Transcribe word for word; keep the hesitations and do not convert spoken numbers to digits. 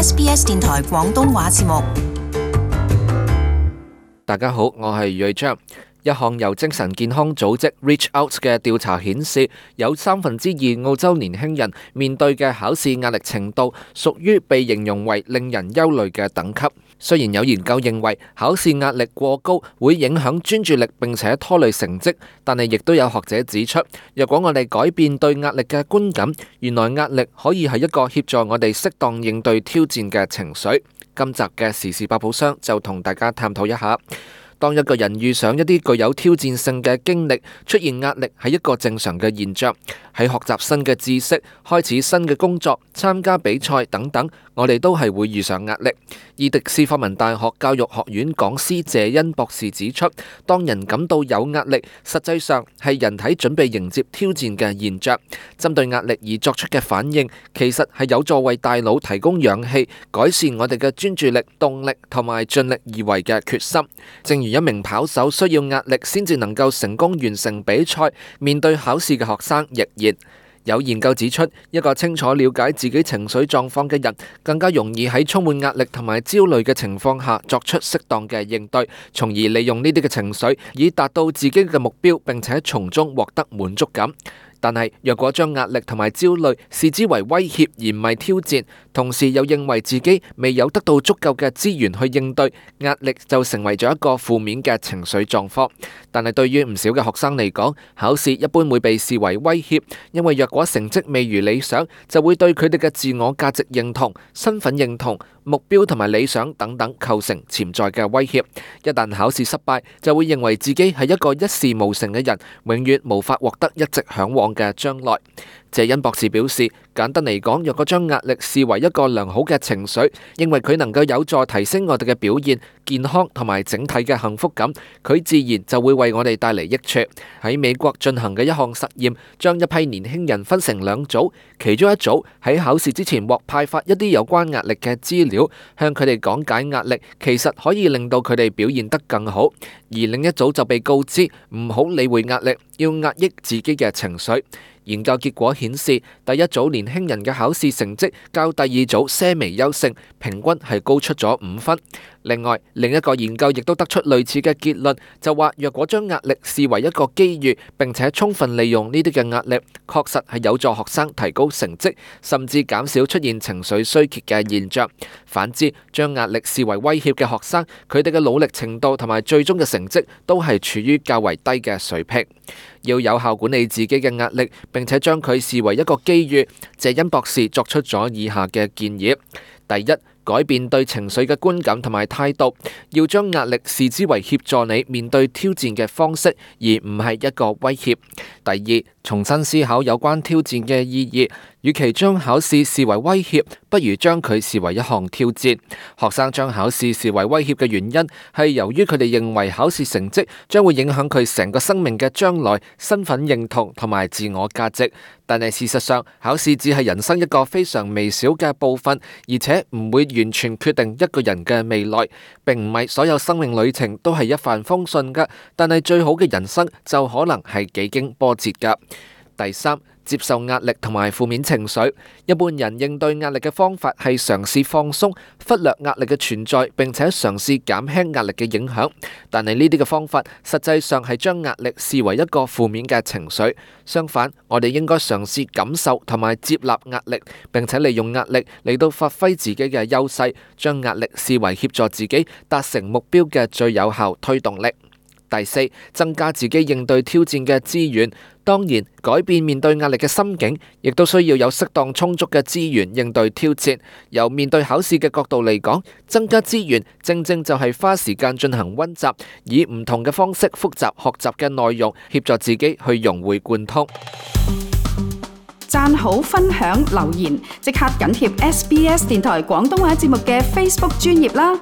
S B S 電台廣東話節目。大家好，我係瑞章。一項由精神健康組織 Reach Out 嘅調查顯示，有三分之二澳洲年輕人面對嘅考試壓力程度屬於被形容為令人憂慮嘅等級。雖然有研究認為考試壓力過高會影響專注力並且拖累成績，但係亦都有學者指出，若果我哋改變對壓力嘅觀感，原來壓力可以係一個協助我哋適當應對挑戰嘅情緒。今集嘅時事百寶箱就同大家探討一下。當一個人遇上一啲具有挑戰性嘅經歷，出現壓力係一個正常嘅現象。喺學習新嘅知識、開始新嘅工作、參加比賽等等，我哋都係會遇上壓力。伊迪斯科文大學教育學院講師謝恩博士指出，當人感到有壓力，實際上係人體準備迎接挑戰嘅現象。針對壓力而作出嘅反應，其實係有助為大腦提供氧氣，改善我哋嘅專注力、動力同埋盡力而為嘅決心。正如一名跑手需要壓力先至能夠成功完成比賽，面對考試嘅學生亦然。有研究指出，一個清楚了解自己情緒狀況嘅人，更加容易喺充滿壓力同埋焦慮嘅情況下作出適當嘅應對，從而利用呢啲嘅情緒以達到自己嘅目標，並且從中獲得滿足感。但係，若果將壓力同埋焦慮視之為威脅而唔係挑戰，同時又認為自己未有得到足夠嘅資源去應對，壓力就成為咗一個負面嘅情緒狀況。但係對於唔少嘅學生嚟講，考試一般會被視為威脅，因為若果成績未如理想，就會對佢哋嘅自我價值認同、身份認同、目標同埋理想等等構成潛在嘅威脅。一旦考試失敗，就會認為自己係一個一事無成嘅人，永遠無法獲得一直嚮往嘅將來。謝恩博士表示，簡單嚟講，若果將壓力視為一個良好嘅情緒，認為佢能夠有助提升我哋嘅表現、健康同埋整體嘅幸福感，佢自然就會為我哋帶嚟益處。喺美國進行嘅一項實驗，將一批年輕人分成兩組，其中一組喺考試之前獲派發一啲有關壓力嘅資料，向佢哋講解壓力其實可以令到佢哋表現得更好，而另一組就被告知唔好理會壓力，要壓抑自己嘅情緒。研究結果顯示，第一組年輕人嘅考試成績較第二組些微優勝，平均係高出咗五分。另外，另一個研究亦都得出類似嘅結論，就話若果將壓力視為一個機遇，並且充分利用呢啲嘅壓力，確實係有助學生提高成績，甚至減少出現情緒衰竭嘅現象。反之，將壓力視為威脅嘅學生，佢哋嘅努力程度同埋最終嘅成績都係處於較為低嘅水平。要有效管理自己嘅壓力，並且將佢視為一個機遇，謝恩博士作出咗以下嘅建議：第一，改變對情緒嘅觀感同埋態度，要將壓力視之為協助你面對挑戰嘅方式，而唔係一個威脅。第二，重新思考有關挑戰嘅意義，與其將考試視為威脅，不如將佢視為一項挑戰。學生將考試視為威脅嘅原因，係由於佢哋認為考試成績將會影響佢成個生命嘅將來、身份認同同埋自我價值。但係事實上，考試只係人生一個非常微小嘅部分，而且唔會完全決定一個人嘅未來。並唔係所有生命旅程都係一帆風順㗎，但係最好嘅人生就可能係幾經波折㗎。第三，接受壓力同埋負面情緒。一般人應對壓力嘅方法係嘗試放鬆，忽略壓力嘅存在，並且嘗試減輕壓力嘅影響。但係呢啲嘅方法實際上係將壓力視為一個負面嘅情緒。相反，我哋應該嘗試感受同埋接納壓力，並且利用壓力嚟到發揮自己嘅優勢，將壓力視為協助自己達成目標嘅最有效推動力。第四，增加自己應對挑戰嘅資源。當然，改變面對壓力嘅心境，亦都需要有適當充足嘅資源應對挑戰。由面對考試嘅角度嚟講，增加資源正正就係花時間進行溫習，以唔同嘅方式複習學習嘅內容，協助自己去融會貫通。讚好、分享、留言，即刻緊貼 S B S 電台廣東話節目嘅 Facebook 專頁啦！